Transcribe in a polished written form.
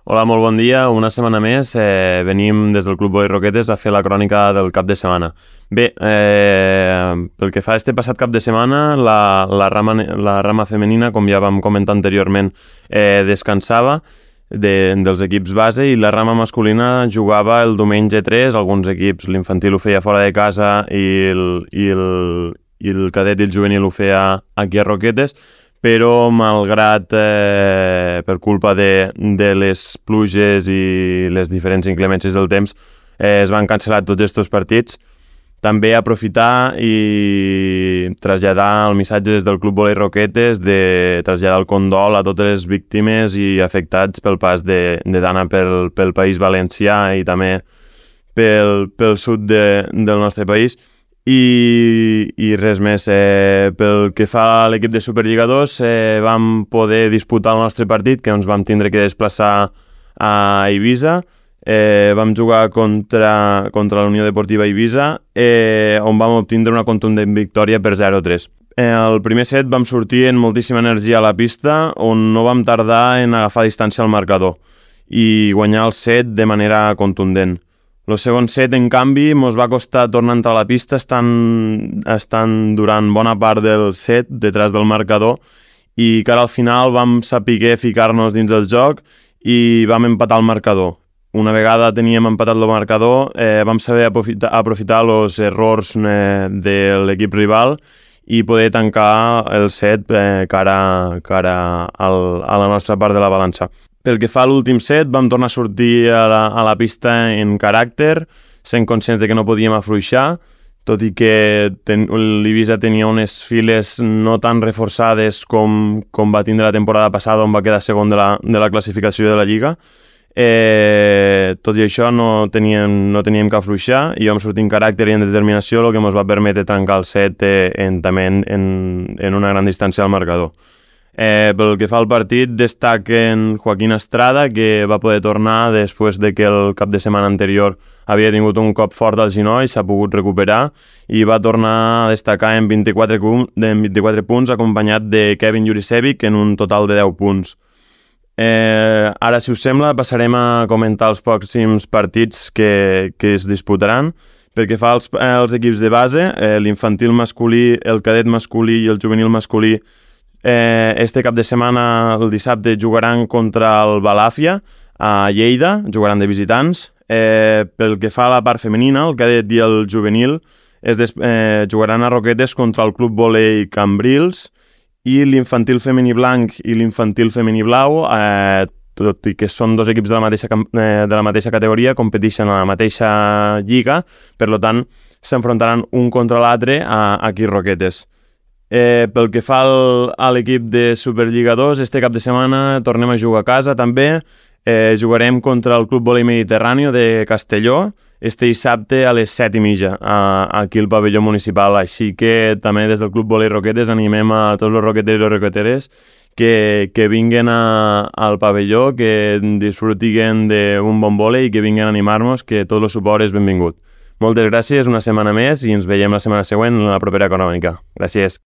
Hola, molt bon dia. Una setmana més venim des del Club Boli Roquetes a fer la crònica del cap de setmana. Bé, pel que fa a este passat cap de setmana, la rama femenina, com ja vam comentar anteriorment, descansava dels equips base i la rama masculina jugava el diumenge 3. Alguns equips, l'infantil ho feia fora de casa i el cadet i el juvenil ho feia aquí a Roquetes, però malgrat, per culpa de les pluges i les diferents inclemències del temps, es van cancel·lar tots aquests partits. També aprofitar i traslladar el missatge des del Club Boli Roquetes de traslladar el condol a totes les víctimes i afectats pel pas de Dana pel País Valencià i també pel sud del nostre país. I res més. Pel que fa a l'equip de Superliga 2, vam poder disputar el nostre partit, que ens vam tindre que desplaçar a Eivissa. Vam jugar contra la Unió Deportiva Eivissa, on vam obtindre una contundent victòria per 0-3. El primer set vam sortir amb moltíssima energia a la pista, on no vam tardar en agafar distància al marcador i guanyar el set de manera contundent. El segon set, en canvi, ens va costar tornar a entrar a la pista, estant durant bona part del set detrás del marcador, i que ara al final vam saber ficar-nos dins del joc i vam empatar el marcador. Una vegada teníem empatat el marcador, vam saber aprofitar els errors de l'equip rival i poder tancar el set cara a la nostra part de la balança. Pel que fa a l'últim set, vam tornar a sortir a la pista en caràcter, sent conscients de que no podíem afluixar, tot i que l'Eivissa tenia unes files no tan reforçades com va tindre la temporada passada, on va quedar segon de la classificació de la Lliga. Tot i això no teníem que afluixar i vam sortir en caràcter i en determinació, el que ens va permetre tancar el set també en una gran distància al marcador. Pel que fa al partit, destaquen Joaquín Estrada, que va poder tornar després de que el cap de setmana anterior havia tingut un cop fort al genoll, s'ha pogut recuperar i va tornar a destacar en 24 punts, acompanyat de Kevin Jurisevic en un total de 10 punts. Ara, si us sembla, passarem a comentar els pròxims partits que es disputaran. Pel que fa als equips de base, l'infantil masculí, el cadet masculí i el juvenil masculí, este cap de setmana, el dissabte, jugaran contra el Balàfia a Lleida, jugaran de visitants. Pel que fa a la part femenina, el cadet i el juvenil jugaran a Roquetes contra el Club Volei Cambrils, i l'infantil femení blanc i l'infantil femení blau, tot i que són dos equips de la mateixa categoria, competeixen a la mateixa lliga, per tant, s'enfrontaran un contra l'altre aquí a Roquetes. Pel que fa a l'equip de Superliga 2, este cap de setmana tornem a jugar a casa també. Jugarem contra el Club Volei Mediterráneo de Castelló este dissabte a les 7:30 aquí al pavelló municipal. Així que també des del Club Volei Roquetes animem a tots els roqueters i roqueteres que vinguen al pavelló, que disfrutin d'un bon vòlei i que vinguin a animar-nos, que tot el suport és benvingut. Moltes gràcies una setmana més i ens veiem la setmana següent en la propera crònica. Gràcies.